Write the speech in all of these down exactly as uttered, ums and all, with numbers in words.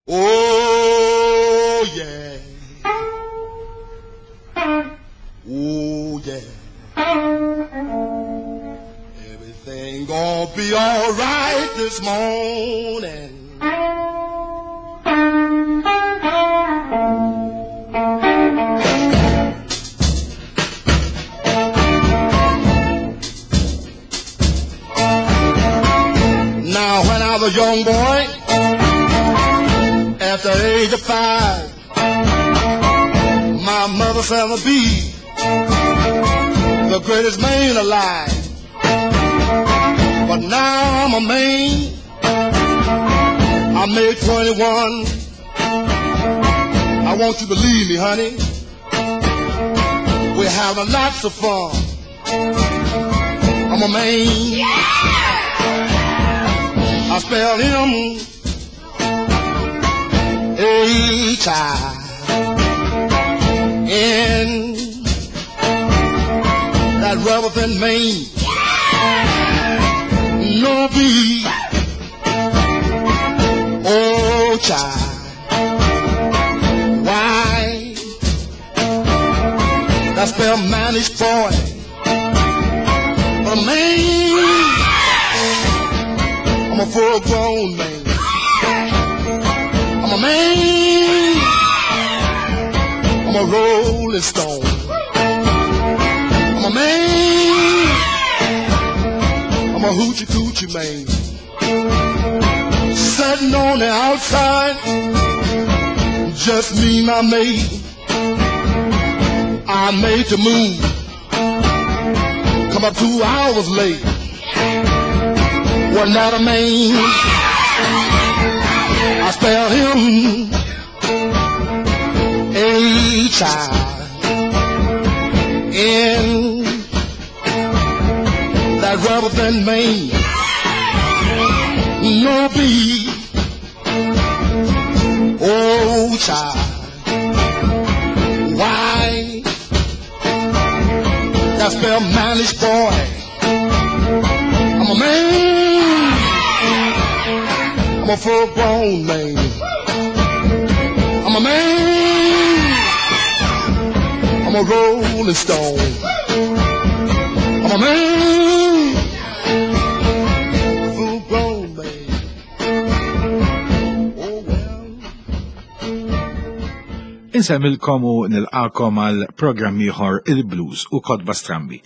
Oh yeah. Oh yeah. Everything gonna be all right this morning. Now when I was a young boy, at the age of five, my mother said I'd be the greatest man alive. But now I'm a man, I made twenty-one. I want you to believe me, honey, we're having lots of fun. I'm a man. Yeah! I spell M H I N, that rubber thin mane. No B O child. Why? That spell mannish boy. But a man, I'm a full-grown man. I'm a man. I'm a rolling stone. I'm a man. I'm a hoochie coochie man. Sitting on the outside, just me and my mate. I made the moon come up two hours late. Wasn't that a man? I spell him H I N, that rubber thin man. No B O child. Why? That spell mannish boy. I'm a man. I'm a full-grown man. I'm a man. I'm a rolling stone. I'm a man. Full-grown man. Oh well. Insemmilkom u nilqakom għal programm ieħor il-Blues u Kotba Strambi.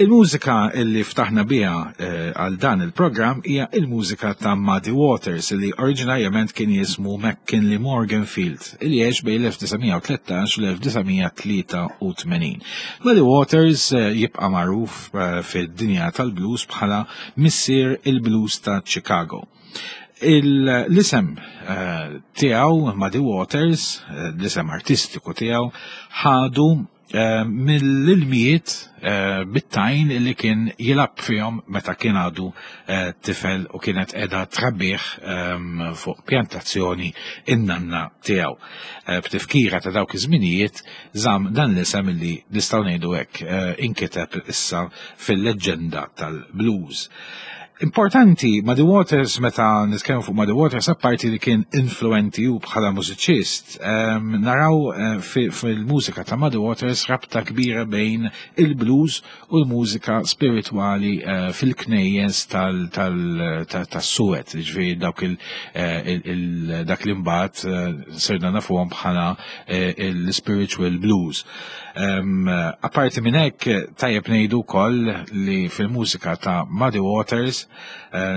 Il-mużika illi ftaħna biha għal dan il-programm hija il-mużika ta' Muddy Waters li oriġinarjament kien jismu McKinley Morganfield illi għex bejn l-elf disa' mija u tlettax u l-elf disa' mija tlieta u tmenin. Muddy Waters jibqa' magħruf fid-dinja tal-blues bħala missier il-blues ta' Chicago. L-isem tiegħu Muddy Waters, l-isem artistiku tiegħu, ħadu mill-ilmijiet bit-tajn li kien jilab fihom meta kien għadu tifel u kienet qiegħda trabbih fuq pjantazzjoni in-nanna tiegħu. B'tifkira ta' dawk iż-żminijiet żamm dan l-isem li nistgħu ngħidu hekk inkiteb issa fil-leġġenda tal-blues. Importanti, Muddy Waters, meta nitkellmu fuq Muddy Waters, apparti li kien influenti u bħala mużiċist, naraw fil-mużika ta' Muddy Waters rabta kbira bejn il-blues u l-mużika spiritwali fil-knejjes tas-Suwed, ġifieri dawk dak li mbagħad sirna nafuhom bħala l-spiritual blues. Apparti minn hekk, tajjeb ngħidu wkoll li fil-mużika ta' Muddy Waters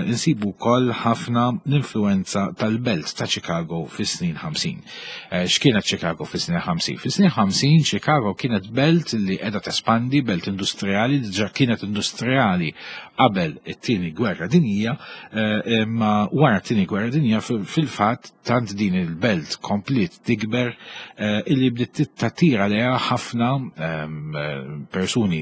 insibu wkoll ħafna l-influenza tal-belt ta' Chicago fis-snin ħamsin. X'kienet Chicago fis-snin ħamsin? Fis-snin ħamsin Chicago kienet belt li qiegħda tespandi, belt industrijali, diġà kienet industrijali qabel it-tieni gwerra dinjija, imma wara t-tieni gwerra dinjija fil-fatt tant din il-belt komplet tikber illi bdiet tattira lejha ħafna persuni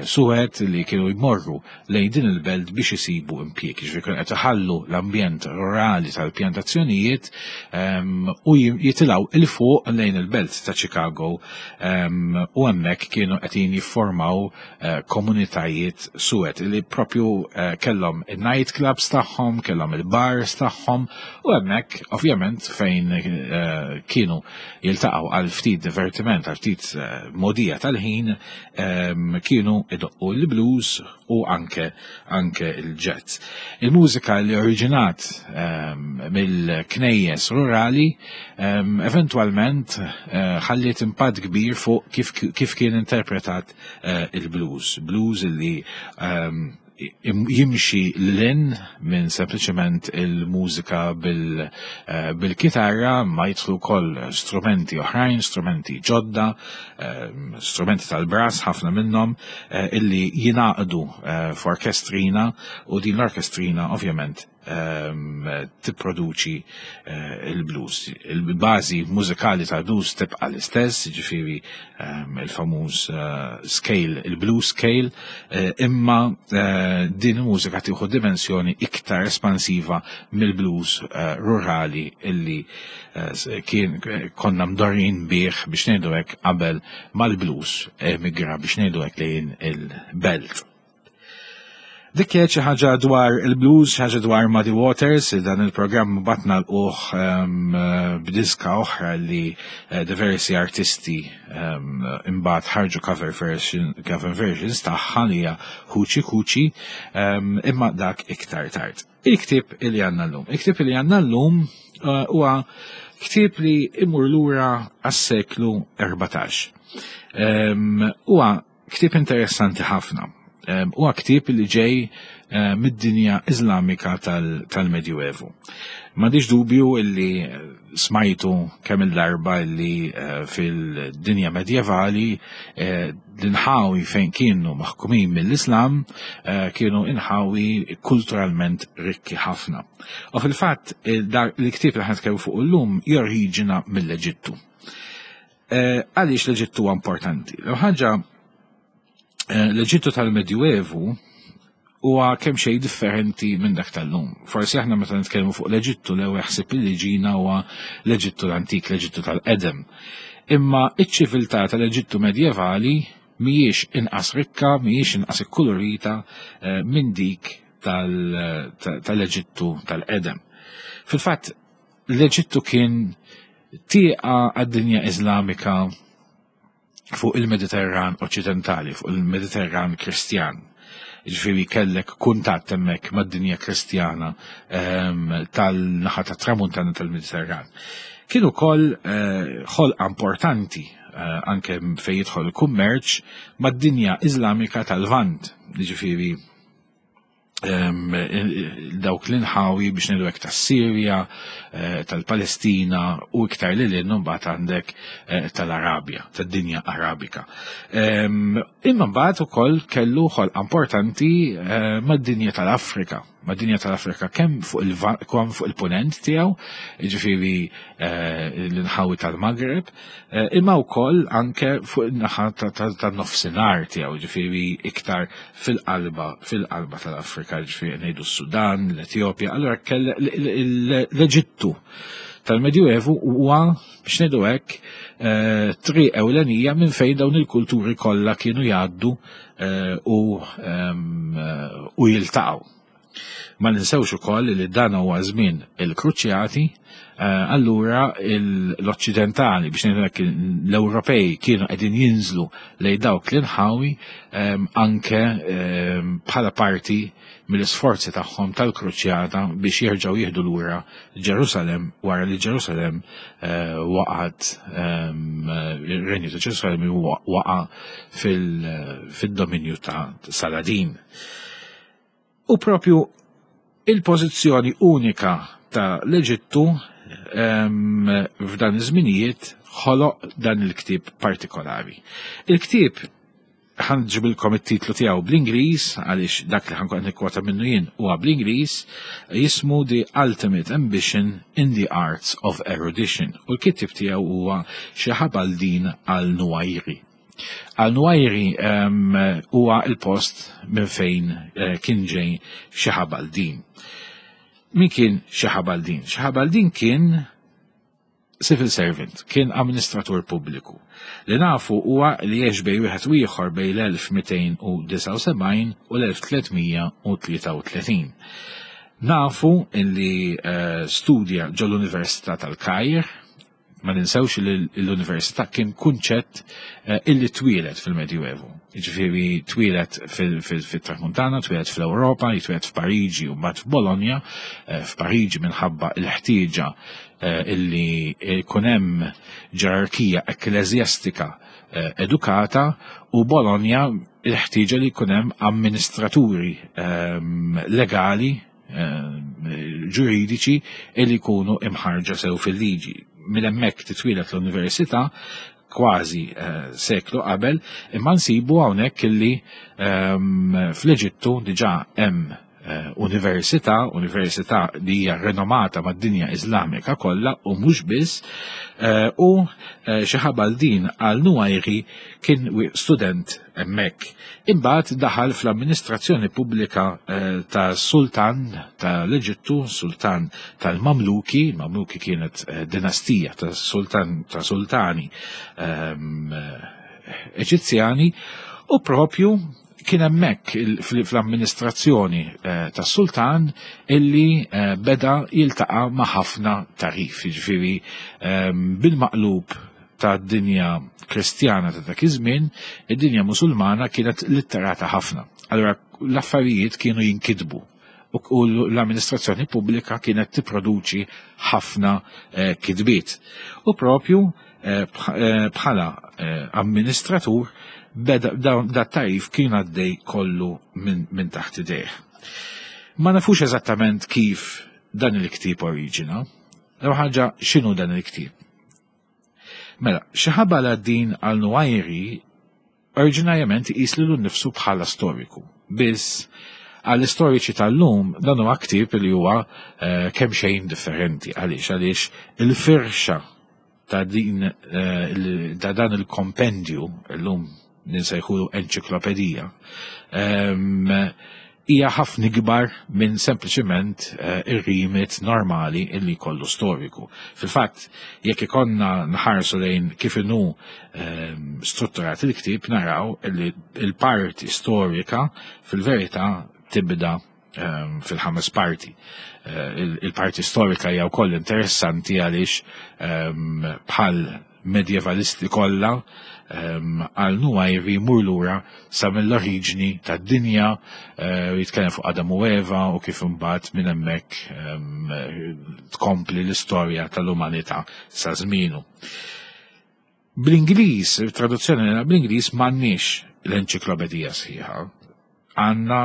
suwed li kienu jmorru lejn din il-belt biex isibu isibu impjieg, jiġifieri kienu qed iħallu l-ambjent rurali tal-pjantazzjonijiet u jitilgħu 'il fuq lejn il-belt ta' Chicago u hemmhekk kienu qegħdin jiffurmaw komunitajiet suwed li propju kellhom il-night clubs tagħhom, kellhom il-bars tagħhom u hemmhekk ovvjament fejn kienu jiltaqgħu għal ftit divertiment, għal ftit mogħdija tal-ħin, kienu idoqqu l-blues u anke anke il-jazz. Il-mużika li oriġinat mill-knejjes rurali eventwalment ħalliet impatt kbir fuq kif, kif kien interpretat il-blues. Blues li jimxi lil hinn minn sempliċement il-mużika bil-kitarra, ma jidħlu wkoll strumenti oħrajn, strumenti ġodda, strumenti tal-brass ħafna minnhom illi jingħaqdu f'orkestrina, u din l-orkestrina ovvjament tipproduċi il-blues. Il-bażi mużikali tal-blues tibqa' l-istess, ġifieri il-famuż scale, il-blues scale, imma din il-mużika tieħu dimensjoni iktar espansiva mill-blues rurali illi kien konna mdorrijin bih, biex ngħidu hekk, qabel mal-blues emigra, biex ngħidu hekk, lejn il-belt. Dik kienet xi ħaġa dwar il-blues, xi ħaġa dwar Muddy Waters. Dan il-programm batna l-uħ b'diska oħra li diversi artisti imbagħad ħarġu cover version, cover versions tagħha, li hija Hoochie Coochie, imma dak iktar tard. Il-ktieb li għandna llum. Il-ktieb li għandna llum huwa ktieb li imur lura għas-seklu erbatax. Huwa ktieb interessanti ħafna. Huwa ktieb li ġej mid-dinja Iżlamika tal-Medjuevu. M'għandix dubju illi smajtu kemm il-darba illi fil-dinja medjevali l-inħawi fejn kienu maħkumin mill-Islam kienu inħawi kulturalment rikki ħafna. U fil-fatt il-ktieb li ħa nitkellmu fuq illum joriġina mill-Eġittu. Għaliex l-Eġittu huwa importanti? L-ħaġa, l-Eġittu tal-Medjuevu huwa kemm xejn differenti minn dak tal-lum. Forsi aħna meta nitkellmu fuq l-Eġittu, l-ewwel ħsieb li ġina huwa l-Eġittu l-antik, l-Eġittu tal-qedem. Imma iċ-ċiviltà tal-Eġittu medjevali mhijiex inqas rikka, mhijiex inqas ikkulurita minn dik tal-Eġittu tal-qedem. Fil-fatt, l-Eġittu kien tieqa għad-dinja Iżlamika fuq il-Mediterran Oċċidentali, fuq il-Mediterran Kristjan. Ġifieri kellek kuntatt hemmhekk mad-dinja Kristjana tal-naħa tat-tramuntana tal-Mediterran. Kien ukoll ħolqa importanti anke fejn jidħol il-kummerċ mad-dinja Iżlamika tal-Lvant, ġifieri dawk l-inħawi, biex ngħidu hekk, tas-Sirja, tal-Palestina u iktar lil hinn mbagħad għandek tal-Arabja, tad-dinja Arabika. Imma mbagħad ukoll kellu ħolqa importanti mad-dinja tal-Afrika, mad-dinja tal-Afrika kemm fuq il fuq il-punent tiegħu, jiġifieri l-inħawi tal-Maghreb, imma wkoll anke fuq in-naħa tan-nofsinhar tiegħu, jiġifieri iktar fil-qalba fil-qalba tal-Afrika, jiġifieri ngħidu s-Sudan, l-Etjopja. Allura l-Eġittu tal-Medjuevu huwa, biex ngħidu hekk, triq ewlenija minn fejn dawn il-kulturi kollha kienu jgħaddu u u jiltaqgħu. Ma ninsewx ukoll li dan huwa żmien il-Kruċjati, allura l-Oċċidentali, biex ngħidu hekk, l-Ewropej kienu qegħdin jinżlu lejn dawk l-inħawi anke bħala parti mill-isforzi tagħhom tal-Kruċjata biex jerġgħu jieħdu lura Ġerusalem wara li Ġerusalem waqgħet, ir-Renju ta' Ġerusalem waqa' fid-dominju ta' Saladin. U propju il-pożizzjoni unika ta' l-Eġittu f'dan iż-żminijiet ħoloq dan il-ktieb partikolari. Il-ktieb ħa nġibilkom it-titlu tiegħu bl-Ingliż, għaliex dak li ħa nkun nikkwota minnu jien huwa bl-Ingliż, jismu The Ultimate Ambition in the Arts of Erudition u l-kittieb tiegħu huwa Shihab al-Din al-Nuwairi. Al-Nuwajri huwa il-post minn fejn eh, kien ġej Shihab al-Din. Min kien Shihab al-Din? Shihab al-Din kien civil servant, kien amministratur pubbliku. Li nafu huwa li għex bejn wieħed u ieħor bejn l-elf mitejn u disgħa u sebgħin u l-elf tliet mija u tlieta u tletin. Nafu li eh, studja ġol-Università tal-Kajr. Ma ninsewx li l-università kien kunċett eh, illi twieled fil-Medjuevu. Jiġifieri twieled fil-Tramuntana, twieled fl-Ewropa, twieled f'Pariġi u mbagħad f'Bologna, eh, f'Pariġi minħabba l-ħtieġa eh, illi jkun hemm ġerarkija ekkleżjastika edukata, u Bologna il-ħtieġa li jkun hemm amministraturi ehm, legali, ġuridiċi illi jkunu imħarġa sew fil-liġi. Minn hemmhekk titwieled l-università kważi eh, seklu qabel, imma nsibu hawnhekk illi ehm, fl-Eġittu diġà hemm eh, università, università li hija renomata mad-dinja Iżlamika kollha u mhux biss, eh, u Shihab al-Din al-Nuwajri kien student hemmhekk. Imbagħad daħal fl-amministrazzjoni pubblika ta' sultan tal-Eġittu, sultan tal-Mamluki. Mamluki kienet dinastija ta' sultan ta' sultani ehm, Eġizzjani, u propju kien hemmhekk fl-amministrazzjoni tas-sultan illi beda jiltaqa' ma' ħafna tarif, jiġifieri ehm, bil-maqlub ta' dinja Kristjana ta' dak iż-żmien, id-dinja Musulmana kienet litterata ħafna. Allura l-affarijiet kienu jinkitbu u l-amministrazzjoni pubblika kienet tipproduċi ħafna eh, kitbiet. U propju eh, eh, bħala amministratur beda da tarif kien għaddej kollu minn min taħt idejh. Ma nafux eżattament kif dan il-ktieb oriġina. L ħaġa, x'inhu dan il-ktieb? Mela, Shihab al-Din al-Nuwajri oriġinarjament iqis lilu nnifsu bħala storiku. Biss għall-istoriċi tal-lum dan huwa ktieb li huwa eh, kemm xejn differenti. Għaliex? Għaliex il-firxa ta' din eh, ta' dan il-kompendju, illum ninsejħulu enċiklopedija, ehm, hija ħafna ikbar minn sempliċement eh, ir-remit normali illi kollu storiku. Fil-fatt, jekk ikonna nħarsu lejn kif inhu ehm, strutturat il-ktieb, naraw illi il-parti storika fil-verità tibda ehm, fil-ħames parti. Eh, il-parti storika hija wkoll interessanti għaliex ehm, bħal medjevalisti kollha, Al-Nuwajri jmur lura sa mill-oriġni tad-dinja, eh, jitkellem fuq Adam u Eva u kif imbagħad minn hemmhekk tkompli l-istorja tal-umanità sa żmienu. Bl-Ingliż, traduzzjoni bl-Ingliż, m'għandniex l-enċiklopedija sħiħa. Għandna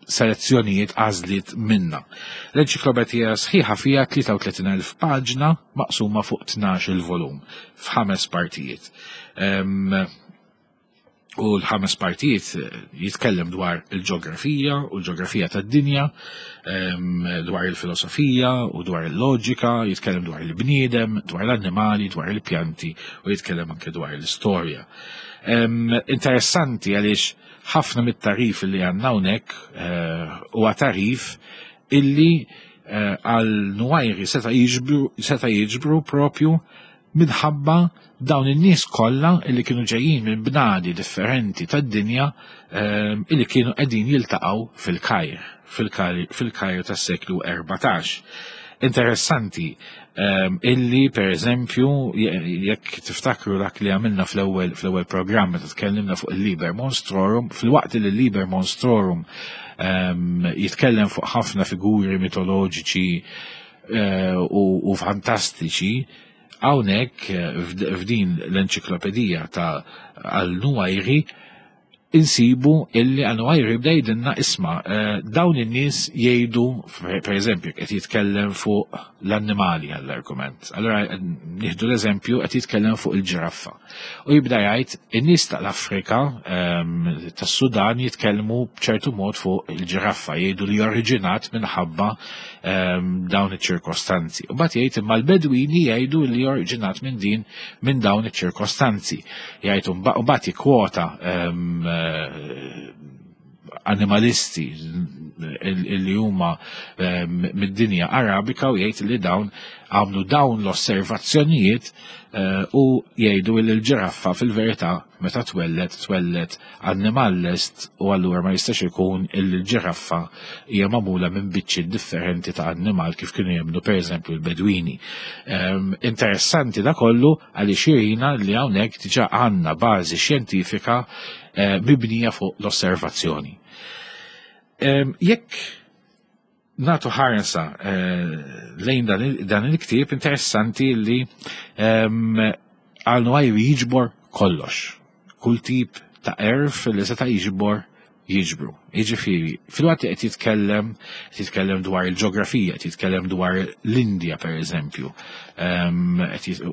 selezzjonijiet, għażliet minna. L-enċiklopedija sħiħa fija tlieta u tletin elf paġna maqsuma fuq tnax-il volum f'ħames partijiet. U l-ħames partijiet jitkellem dwar il-ġeografija u l-ġeografija tad-dinja, dwar il-filosofija u dwar il-loġika, jitkellem dwar il-bniedem, dwar l-annimali, dwar il-pjanti u jitkellem anke dwar l-istorja. Interessanti għaliex ħafna mit-tarif li għandna hawnhekk eh, huwa tarif illi eh, Al-Nuwajri seta' jiġbru propju minħabba dawn in-nies kollha illi kienu ġejjin minn bnadi differenti tad-dinja eh, illi kienu qegħdin jiltaqgħu fil-Kajr, fil-Kajr tas-seklu erbatax. Interessanti um, illi per eżempju, jekk tiftakru dak li għamilna fl-ewwel fl-ewwel programm meta tkellimna fuq il-Liber Monstrorum, fil-waqt li il-Liber Monstrorum um, jitkellem fuq ħafna figuri mitoloġiċi uh, u, u fantastiċi, hawnhekk f'din l-enċiklopedija ta' Al-Nuwajri Insibu illi An-Nuwajri jibda jgħidilna, isma', eh, dawn in-nies jgħidu, per eżempju, qed jitkellem fuq l-annimali għall-argument. Allora nieħdu l-eżempju, qed jitkellem fuq il-ġiraffa. U jibda jgħid in-nies tal-Afrika, ehm, tas-Sudan, jitkellmu b'ċertu mod fuq il-ġiraffa, jgħidu li oriġinat minħabba ehm, dawn iċ-ċirkostanzi. U mbagħad jgħid imma l-Bedwini jgħidu li oriġinat minn din minn dawn iċ-ċirkostanzi. Jgħid u mbagħad jikkwota ehm, animalisti li huma ehm, mid-dinja Arabika u jgħid li dawn għamlu dawn l-osservazzjonijiet eh, u jgħidu li l-ġiraffa fil-verità meta twellet twellet annimal lest u allura ma jistax ikun il-ġiraffa hija magħmula minn biċċi differenti ta' annimal kif kienu jemmnu, pereżempju, l-Bedwini. Ehm, interessanti da kollu għaliex jurina li hawnhekk diġà għandna bażi xjentifika eh, mibnija fuq l-osservazzjoni. Ehm, jekk nagħtu ħarsa eh, lejn dan il-ktieb, interessanti li ehm, Al-Nuwajri jiġbor kollox. Kull tip ta' għerf li seta' jiġbor jiġbru. Jiġifieri, filwaqt li qed jitkellem, qed jitkellem dwar il-ġeografija, qed jitkellem dwar l-Indja, per eżempju, ehm,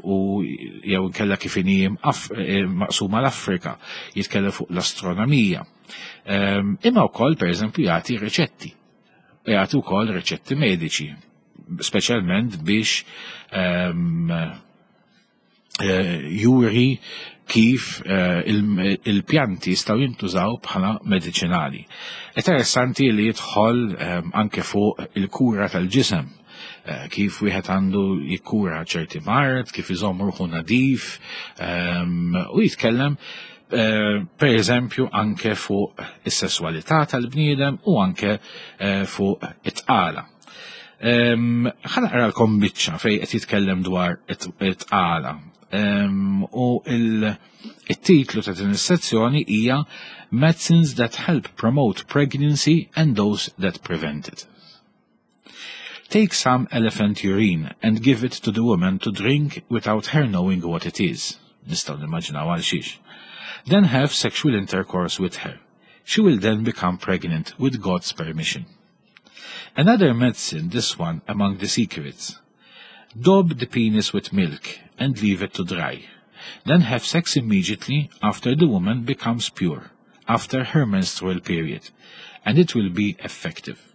u jew inkella kif inhi eh, maqsuma l-Afrika, jitkellem fuq l-astronomija. Ehm, imma wkoll, per eżempju, jagħti riċetti. Jagħti wkoll riċetti mediċi, speċjalment biex um, juri kif eh, il-pjanti jistgħu jintużaw bħala medicinali. Interessanti li jidħol ehm, anke fuq il-kura tal-ġisem, eh, kif wieħed għandu jikkura ċerti mard, kif iżomm ruħu nadif, ehm, u jitkellem eh, per eżempju anke fuq is-sesswalità tal-bniedem u anke fuq it-tqala. Ehm, ħa naqralkom biċċa fejn qed jitkellem dwar it-tqala. U il-titlu ta' din is-sezzjoni hija "Medicines that help promote pregnancy and those that prevent it". Take some elephant urine and give it to the woman to drink without her knowing what it is. Nistgħu nimmaġinaw għal xiex. Then have sexual intercourse with her. She will then become pregnant with God's permission. Another medicine, this one among the secrets. Daub the penis with milk and leave it to dry. Then have sex immediately after the woman becomes pure, after her menstrual period, and it will be effective.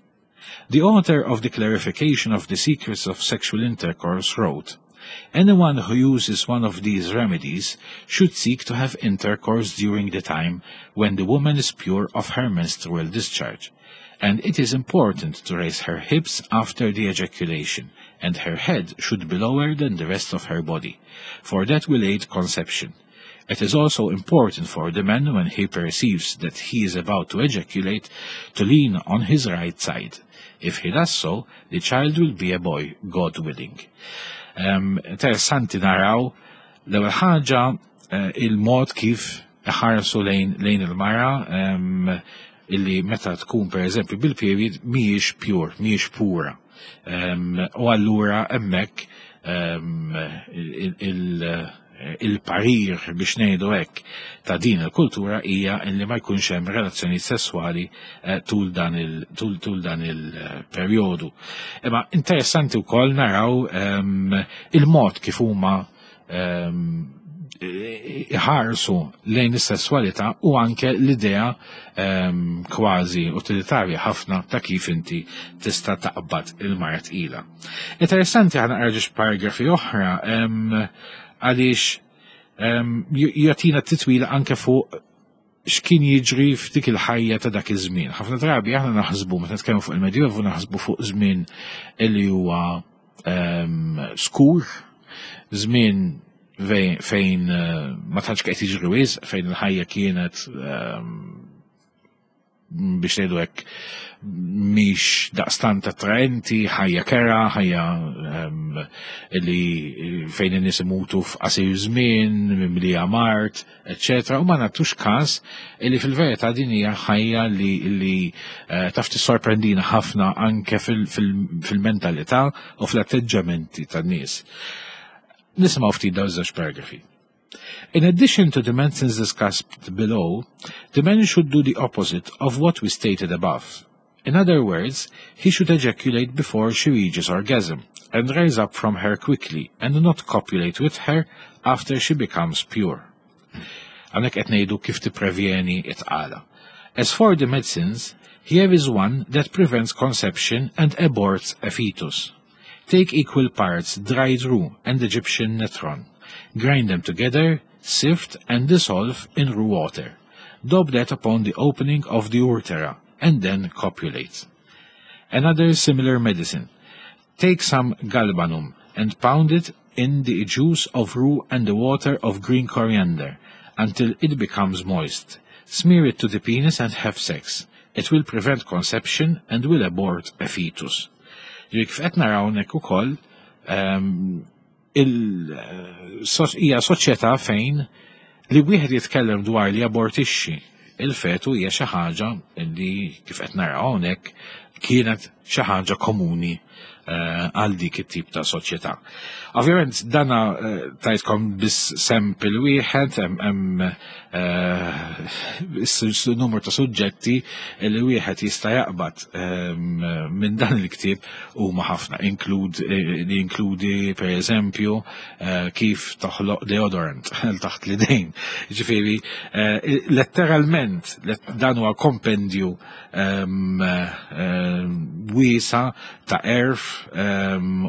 The author of the Clarification of the Secrets of Sexual Intercourse wrote, "Anyone who uses one of these remedies should seek to have intercourse during the time when the woman is pure of her menstrual discharge, and it is important to raise her hips after the ejaculation, and her head should be lower than the rest of her body, for that will aid conception. It is also important for the man, when he perceives that he is about to ejaculate, to lean on his right side. If he does so, the child will be a boy, God willing." Um, interessanti naraw l-ewwel ħaġa uh, il-mod kif ħarsu lejn, lejn il-mara um, illi meta tkun, per eżempju, bil-period mhijiex pure, mhijiex pura. Um, u allura hemmhekk um, il-parir, biex ngħidu hekk, ta' din il-kultura hija illi ma jkunx hemm relazzjoni sessuali eh, tul dan il tul, tul dan il-perjodu. Imma interessanti wkoll naraw um, il-mod kif huma um, iħarsu lejn is-sesswalità u anke l-idea um, kważi utilitarja ħafna ta' kif inti tista' taqbad il-mara tqila. Interessanti, ħa naqra żewġ paragrafi oħra um, għaliex um, jagħtina titwila anke fuq x'kien jiġri f'dik il-ħajja ta' dak iż-żmien. Ħafna drabi aħna naħsbu, meta nitkellmu fuq il-Medjuevu, naħsbu fuq żmien illi huwa um, skur, żmien fejn uh, ma tantx qed jiġri wisq, fejn il-ħajja kienet, um, biex ngħidu hekk, mhix daqstant attraenti, ħajja kerha, ħajja um, li fejn in-nies imutu f'qasir żmien, mimlija mard, eċċetera. U ma nagħtux każ li fil-verità din hija ħajja li, li uh, taf tissorprendina ħafna anke fil-mentalità u fl-atteġġamenti tan-nies. Nisimgħu ftit dawn żewġ paragrafi. In addition to the medicines discussed below, the man should do the opposite of what we stated above. In other words, he should ejaculate before she reaches orgasm and rise up from her quickly and not copulate with her after she becomes pure. Hawnhekk qed ngħidu kif tipprevjeni it-tqala. As for the medicines, here is one that prevents conception and aborts a fetus. Take equal parts dried rue and Egyptian natron. Grind them together, sift and dissolve in rue water. Daub that upon the opening of the urethra and then copulate. Another similar medicine. Take some galbanum and pound it in the juice of rue and the water of green coriander until it becomes moist. Smear it to the penis and have sex. It will prevent conception and will abort a fetus. Kif qed naraw hawnhekk ukoll ehm, hija soċjetà fejn li wieħed jitkellem dwar li abortixxi il-fetu hija xi ħaġa li kif qed naraw hawnhekk kienet xi ħaġa komuni eh, għal dik it-tip ta' soċjetà. Ovvjament dana eh, tajtkom biss sample wieħed hemm eh, numru ta' suġġetti li wieħed jista' jaqbad ehm, minn dan il-ktieb huma ħafna inklud li inkludi per eżempju kif toħloq deodorant taħt l-idejn. Ġifieri letteralment dan huwa kompendju ehm, ehm, wiesa ta' għerf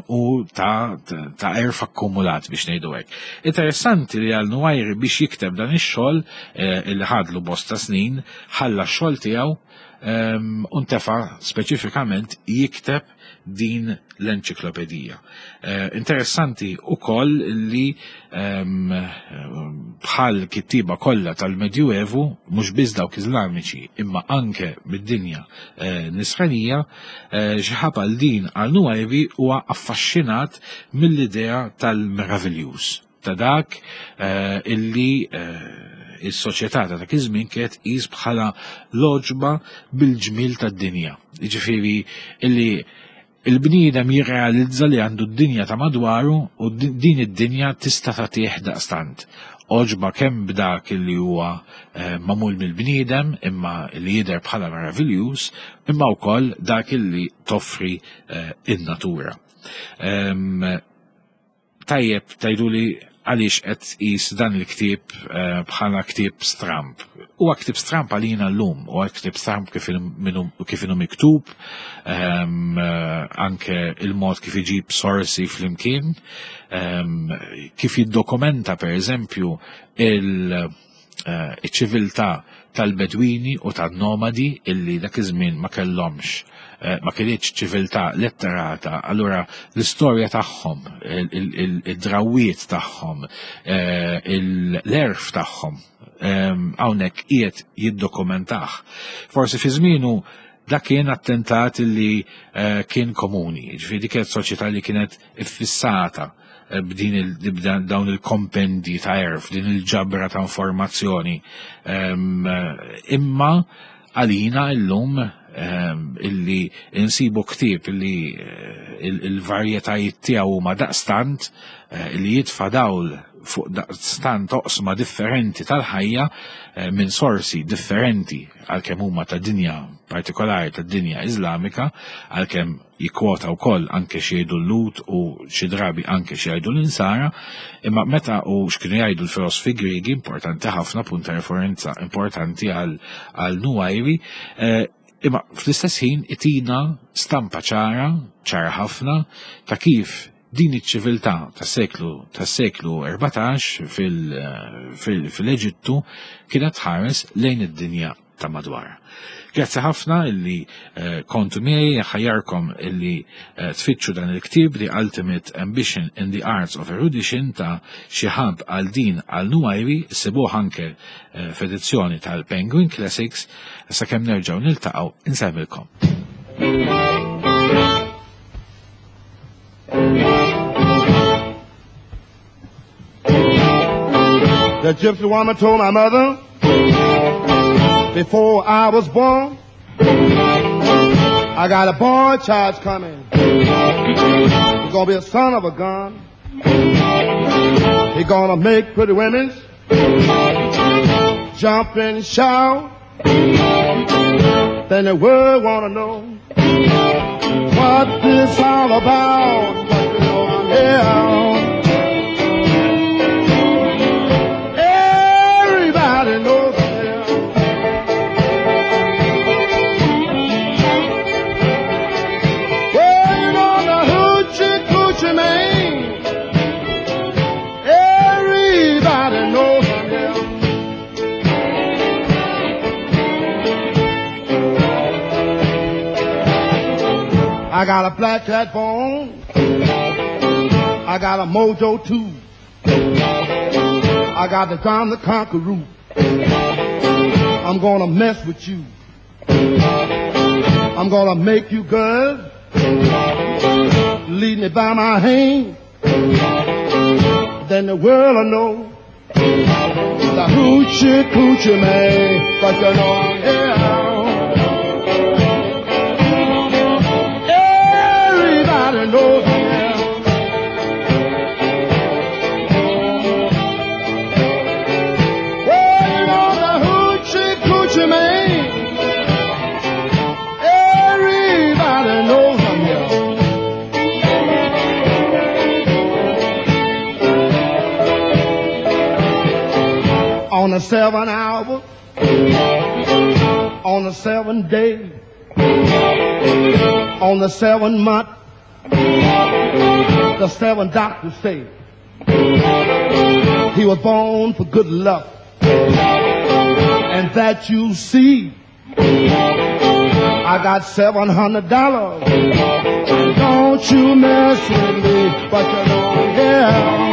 u ta' ta' għerf akkumulat biex ngħidu hekk. Interessanti li għal Nuwajri biex jikteb dan ix-xogħol eh, illi ħadlu bosta snin, ħalla x-xogħol tiegħu u ntefa' speċifikament jikteb din l-enċiklopedija. Eh, interessanti ukoll li bħal kittiba kollha tal-Medjuevu, mhux biss dawk Iżlamiċi, imma anke mid-dinja eh, nisranija, Xihab al-Din al-Nuwajri huwa affaxxinat mill-idea tal-meravigliuż, ta' dak illi is-soċjetà ta' dak iż-żmien kienet tqis bħala l-għoġba bil-ġmil tad-dinja. Jiġifieri illi il-bniedem jirrealizza li għandu d-dinja ta' madwaru u din id-dinja tista' tagħtih daqstant. Għoġba kemm b'dak li huwa eh, magħmul mill-bniedem imma li jidher bħala meraviljuż, imma wkoll dak li toffri eh, in-natura. Tajjeb tgħiduli għaliex qed tqis dan il-ktieb eh, bħala ktieb stramp. Huwa ktieb stramp għalina llum, huwa ktieb stramp kif inhu miktub, ehm, eh, anke il-mod kif iġib sorsi flimkien, ehm, kif jiddokumenta per eżempju il- eh, iċ-ċiviltà tal-Bedwini u tan-nomadi illi dak iż-żmien ma kellhomx eh, ma kinitx ċiviltà letterata, allura l-istorja tagħhom, id-drawiet tagħhom, eh, l-għerf tagħhom ehm, hawnhekk qiegħed jiddokumentah. Forsi fi żmienu dak kien attentat li eh, kien komuni, ġifieri dik kienet soċjetà li kienet iffissata b'din dawn il-kompendi ta' għerf, din il-ġabra ta' informazzjoni. Ehm, imma għalina illum ehm, illi insibu ktieb illi eh, il-varjetajiet tiegħu huma daqstant eh, illi jitfa' dawl fuq daqstant oqsma differenti tal-ħajja eh, minn sorsi differenti għalkemm huma ta' dinja partikolari ta' dinja Iżlamika, għalkemm jikkwota wkoll anke xi jgħidu l-Lhud u xi drabi anke xi jgħidu l-Insara, imma meta u x'kienu jgħidu l-filosofi Griegi importanti ħafna punt ta' referenza importanti għal għal Nuwajri, eh, imma fl-istess ħin itina stampa ċara, ċara ħafna, ta' kif din iċ-ċiviltà tas-seklu tas-seklu erbatax fil-Eġittu kienet tħares lejn id-dinja ta' madwar. Grazzi ħafna illi eh, kontu miegħi, ħajjarkom illi eh, tfittxu dan il-ktieb The Ultimate Ambition in the Arts of Erudition ta' Shihab al-Din al-Nuwajri, sibuh anke eh, f'edizzjoni tal-Penguin Classics, sakemm nerġgħu niltaqgħu insemmilkom. The gypsy woman told my mother before I was born, I got a boy child coming. He's gonna be a son of a gun. He gonna make pretty women jump and shout. Then the world wanna know what this all about. But you know I'm here. Everybody knows I'm here. Well, you know the hoochie coochie man. Everybody knows I'm here. I got a black cat bone. I got a mojo too. I got the John the Conqueror. I'm gonna mess with you. I'm gonna make you girls lead me by my hand. Then the world will know the hoochie coochie man. But you know I'm here. Everybody knows I'm here. Well, you know the hoochie coochie man. Everybody knows I'm here. On the seven hour, on the seven day, on the seven month, the seven doctors say he was born for good luck, and that you see. I got seven hundred dollars. Don't you mess with me, but you know I'm here.